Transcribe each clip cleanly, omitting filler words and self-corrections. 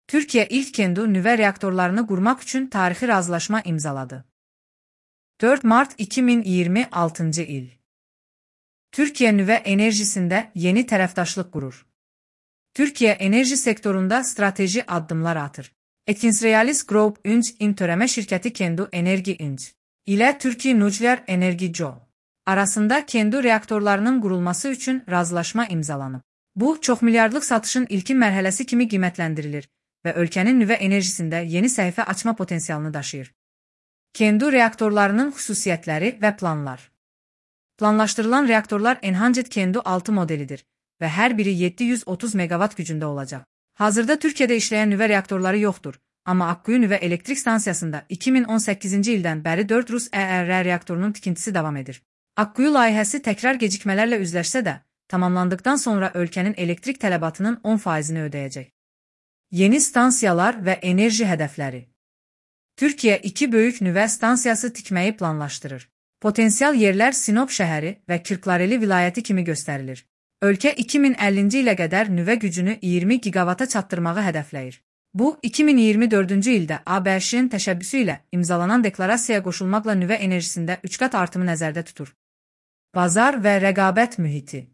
Türkiye ilk kendi nüvə reaktorlarını qurmaq üçün tarixi razılaşma imzaladı. 4 Mart 2026 il. Türkiye nüvə enerjisində yeni tərəfdaşlıq qurur. Türkiye enerji sektorunda strateji addımlar atır. Etkinsrealis Group Inc. törəmə şirkəti Kendu Enerji Inc. ilə Türkiye Nukleer Enerji Co. arasında Kendu reaktorlarının qurulması üçün razılaşma imzalanıb. Bu, çoxmilyardlıq satışın ilkin mərhələsi kimi qiymətləndirilir və ölkənin nüvə enerjisində yeni səhifə açma potensialını daşıyır. Kendu reaktorlarının xüsusiyyətləri və planlar. Planlaşdırılan reaktorlar Enhanced Kendu 6 modelidir və hər biri 730 megawatt gücündə olacaq. Hazırda Türkiyədə işləyən nüvə reaktorları yoxdur, amma Akkuyu nüvə elektrik stansiyasında 2018-ci ildən bəri 4 Rus ERR reaktorunun tikintisi davam edir. Akkuyu layihəsi təkrar gecikmələrlə üzləşsə də, tamamlandıqdan sonra ölkənin elektrik tələbatının 10%-ni ödəyəcək. Yeni stansiyalar və enerji hədəfləri. Türkiyə 2 böyük nüvə stansiyası tikməyi planlaşdırır. Potensial yerlər Sinop şəhəri və Kırklareli vilayəti kimi göstərilir. Ölkə 2050-ci ilə qədər nüvə gücünü 20 gigavata çatdırmağı hədəfləyir. Bu, 2024-cü ildə ABŞ-ın təşəbbüsü ilə imzalanan deklarasiyaya qoşulmaqla nüvə enerjisində 3 qat artımı nəzərdə tutur. Bazar və rəqabət mühiti.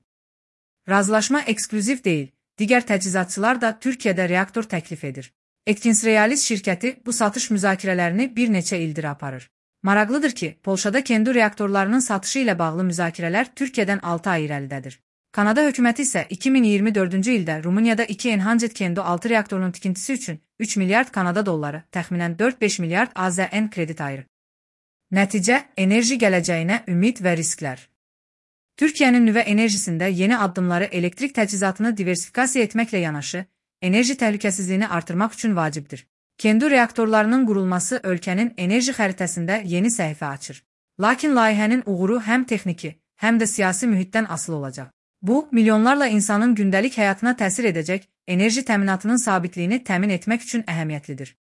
Razılaşma eksklüziv deyil, digər təchizatçılar da Türkiyədə reaktor təklif edir. Etkinsrealis şirkəti bu satış müzakirələrini bir neçə ildir aparır. Maraqlıdır ki, Polşada Kendu reaktorlarının satışı ilə bağlı müzakirələr Türkiyədən 6 ay irəlidədir. Kanada hökuməti isə 2024-cü ildə Rumuniyada 2 Enhanced Kendu 6 reaktorunun tikintisi üçün 3 milyard Kanada dolları, təxminən 4-5 milyard AZN kredit ayırır. Nəticə, enerji gələcəyinə ümid və risklər. Türkiyənin nüvə enerjisində yeni addımları elektrik təchizatını diversifikasiya etməklə yanaşı, enerji təhlükəsizliyini artırmaq üçün vacibdir. Kendu reaktorlarının qurulması ölkənin enerji xəritəsində yeni səhifə açır. Lakin layihənin uğuru həm texniki, həm də siyasi mühitdən asılı olacaq. Bu, milyonlarla insanın gündəlik həyatına təsir edəcək enerji təminatının sabitliyini təmin etmək üçün əhəmiyyətlidir.